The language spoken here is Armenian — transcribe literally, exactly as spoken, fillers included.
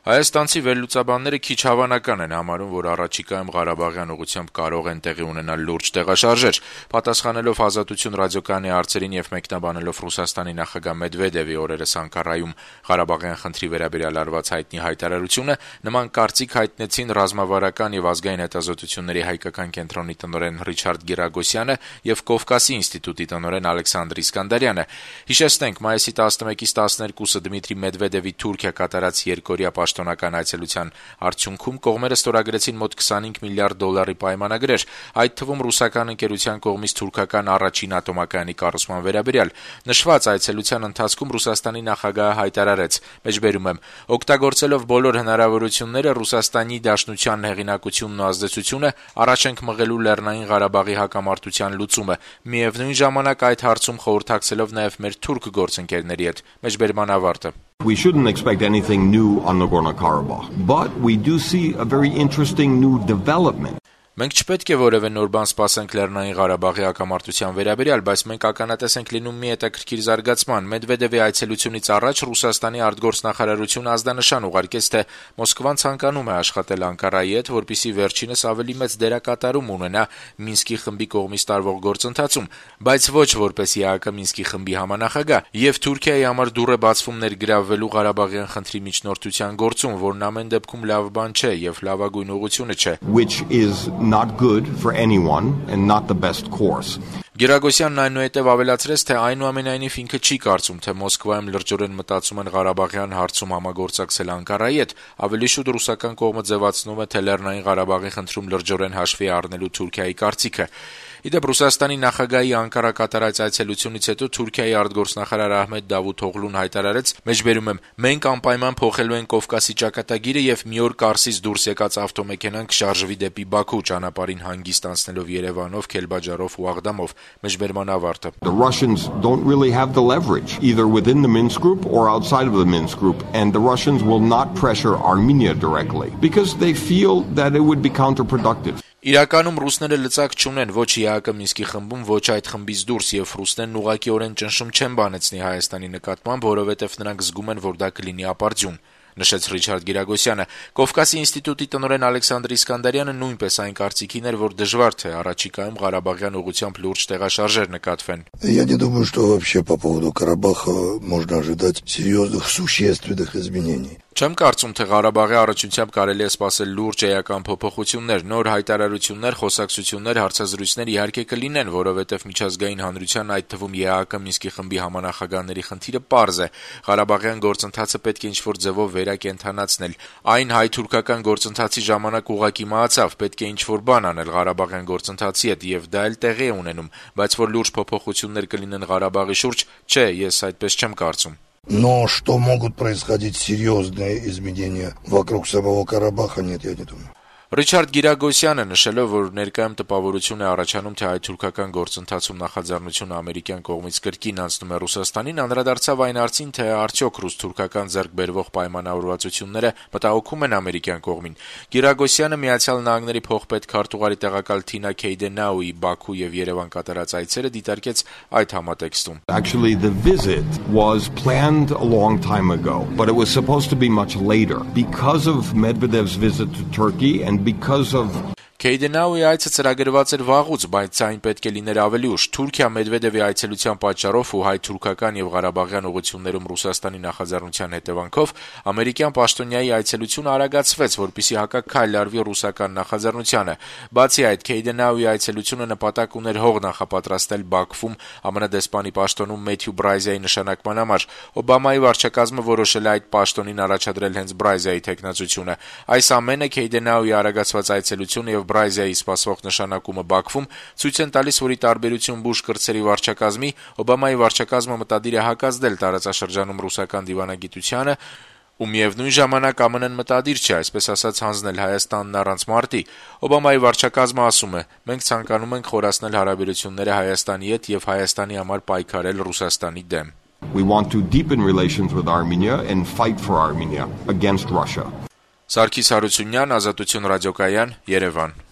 Հայաստանցի վերլուծաբանները քիչ հավանական են համարում, որ առաջիկայում Ղարաբաղյան ուղղությամբ կարող են տեղի ունենալ լուրջ տեղաշարժեր։ Պատասխանելով Ազատություն ռադիոկայանի հարցերին եւ մեկնաբանելով Ռուսաստանի նախագահ Մեդվեդևի օրերս Անկարայում Ղարաբաղյան խնդրի վերաբերյալ արված հայտնի հայտարարությունը, նման կարծիք հայտնեցին ռազմավարական եւ ազգային հետազոտությունների հայկական կենտրոնի տնօրեն Ռիչարդ Գիրագոսյանը եւ Կովկասի ինստիտուտի տնօրեն Ալեքսանդր Իսկանդարյանը։ Հիշեցնենք, մայիսի տասնմեկից տասներկուսը Դմիտրի Մեդվեդևի Թուրքիա կատարած երկօրյա պաշտոնական այցելության արդյունքում կողմերը ստորագրեցին մոտ քսանհինգ միլիարդ դոլարի պայմանագրեր, այդ թվում ռուսական ընկերության կողմից թուրքական առաջին ատոմակայանի կառուցման վերաբերյալ։ Նշված այցելության ընթացքում Ռուսաստանի նախագահը հայտարարեց. «Մեջբերում եմ, օգտագործելով բոլոր հնարավորությունները Ռուսաստանի Դաշնության հեղինակությունն ու ազդեցությունը առաջ ենք մղելու Լեռնային Ղարաբաղի հակամարտության լուծումը, միևնույն ժամանակ այդ հարցում խորհրդակցելով նաև մեր թուրք գործընկերների հետ»։ Մեջբերման ավարտը։ We shouldn't expect anything new on Nagorno-Karabakh, but we do see a very interesting new development. Մենք չպետք է որևէ նոր բան սպասենք Լեռնային Ղարաբաղի հակամարտության վերաբերյալ, բայց մենք ականատես ենք լինում մի հետաքրքիր զարգացման։ Մեդվեդևի այցելությունից առաջ Ռուսաստանի արտգործնախարարությունը ազդանշան ուղարկեց, թե Մոսկվան ցանկանում է աշխատել Անկարայի հետ, որպեսզի վերջինս ավելի մեծ դերակատարում ունենա Մինսկի խմբի կողմից տարվող գործընթացում, բայց ոչ որպես ԵԱՀԿ Մինսկի խմբի համանախագահ, եւ Թուրքիայի համար դուռ է բացվում ներգրավվելու Ղարաբաղյան խնդրի միջնորդության գործում, որն ամեն դեպքում լավ բան չէ եւ լավագույն ուղղությունը չէ։ Which is not good for anyone and not the best course. Գիրագոսյանն այնուհետև ավելացրեց, թե այնուամենայնիվ ինքը չի կարծում, թե Մոսկվայում լրջորեն մտածում են Ղարաբաղյան հարցում համագործակցել Անկարայի հետ, ավելի շուտ ռուսական կողմը ձևացնում է, թե Լեռնային Ղարաբաղի խնդրում լրջորեն հաշվի առնելու Թուրքիայի կարծիքը։ Իդեպ Ռուսաստանի նախագահի Անկարա կատարած այցելությունից հետո Թուրքիայի արտգործնախարար Ահմեդ Դավութօղլուն հայտարարեց. «Մեջբերում եմ, մենք անպայման փոխելու ենք Կովկասի ճակատագիրը եւ մի օր Կարսից դուրս եկած ավտոմեքենան կշարժվի դեպի Բաքու, ճանապարհին հանգիստ անցնելով Երևանով, Քելբաջարով ու Աղդամով»։ Մեջբերման ավարտը։ The Russians don't really have the leverage either within the Minsk group or outside of the Minsk group, and the Russians will not pressure Armenia directly because they feel that it would be counterproductive. Իրականում ռուսները լծակ չունեն ոչ ԵԱՀԿ Մինսկի խմբում, ոչ այդ խմբից դուրս, եւ ռուսներն ուղղակիորեն ճնշում չեն բանեցնի Հայաստանի նկատմամբ, որովհետեւ նրանք զգում են, որ դա կլինի ապարդյուն, նշեց Ռիչարդ Գիրագոսյանը։ Կովկասի ինստիտուտի տնօրեն Ալեքսանդր Իսկանդարյանը նույնպես այն կարծիքին էր, որ դժվար թե առաջիկայում Ղարաբաղյան ուղղությամբ լուրջ տեղաշարժեր նկատվեն։ Я не думаю, что вообще по поводу Карабаха можно ожидать серьезных существенных изменений. Չեմ կարծում, թե Ղարաբաղի առաջությամբ կարելի է սպասել լուրջ էական փոփոխություններ, նոր հայտարարություններ, խոսակցություններ, հարցազրույցներ իհարկե կլինեն, որովհետև միջազգային հանրության, այդ թվում ԵԱՀԿ Մինսկի խմբի համանախագահների խնդիրը պարզ է։ Ղարաբաղյան գործընթացը պետք է ինչ-որ ձևով վերակենդանացնել։ Այն հայ-թուրքական գործընթացի ժամանակ ուղղակի մահացավ, պետք է ինչ-որ բան անել Ղարաբաղյան գործընթացի հետ, եւ դա էլ տեղի է ունենում, բայց որ լուրջ փոփոխություններ կլինեն Ղարաբաղի շուրջ, չէ, ես այդպես չեմ կարծում։ Но что могут происходить серьезные изменения вокруг самого Карабаха, нет, я не думаю. Ռիչարդ Գիրագոսյանը նշելով, որ ներկայում տպավորություն է առաջանում, թե հայ-թուրքական գործընթացում նախաձեռնությունը ամերիկյան կողմից կրկին անցնում է Ռուսաստանին, անդրադարձավ այն հարցին, թե արդյոք ռուս-թուրքական ձեռքբերվող պայմանավորվածությունները մտահոգում են ամերիկյան կողմին։ Գիրագոսյանը Միացյալ Նահանգների փոխպետ քարտուղարի տեղակալ Թինա Քեյդենաուի Բաքու եւ Երևան կատարած այցերը դիտարկեց այդ համատեքստում։ Actually, the visit was planned a long time ago, but it was supposed to be much later because of Medvedev's visit to Turkey and because of Քեյդենաուի այցը ծրագրված էր վաղուց, բայց այն պետք է լիներ ավելի ուշ։ Թուրքիա Մեդվեդևի այցելության պատճառով ու հայ-թուրքական եւ Ղարաբաղյան ուղղություններում Ռուսաստանի նախաձեռնության հետևանքով ամերիկյան պաշտոնյայի այցելությունը արագացվեց, որպեսզի հակաքայլ արվի ռուսական նախաձեռնությանը։ Բացի այդ, Քեյդենաուի այցելությունը նպատակ ուներ հող նախապատրաստել Բաքվում ԱՄՆ դեսպանի պաշտոնում Մեթյու Բրայզայի նշանակման համար։ Օբամայի վարչակազմը որոշել է այդ պաշտոնին առաջադրել հենց Բրայզայի թեկնածությունը։ Այս ամենը Քեյդենաուի արագացված այցելությունը եւ Բրայզայի սպասվող նշանակումը Բաքվում ցույց են տալիս, որ ի տարբերություն Բուշ կրտսերի վարչակազմի, Օբամայի վարչակազմը մտադիր է հակազդել տարածաշրջանում ռուսական դիվանագիտությանը ու միևնույն ժամանակ ԱՄՆ-ն մտադիր չէ, այսպես ասած, հանձնել Հայաստանն առանց մարտի։ Օբամայի վարչակազմը ասում է. «Մենք ցանկանում ենք խորացնել հարաբերությունները Հայաստանի հետ եւ Հայաստանի համար պայքարել Ռուսաստանի դեմ»։ We want to deepen relations with Armenia and fight for Armenia against Russia. Սարգիս Հարությունյան, Ազատություն ռադիոկայան, Երևան։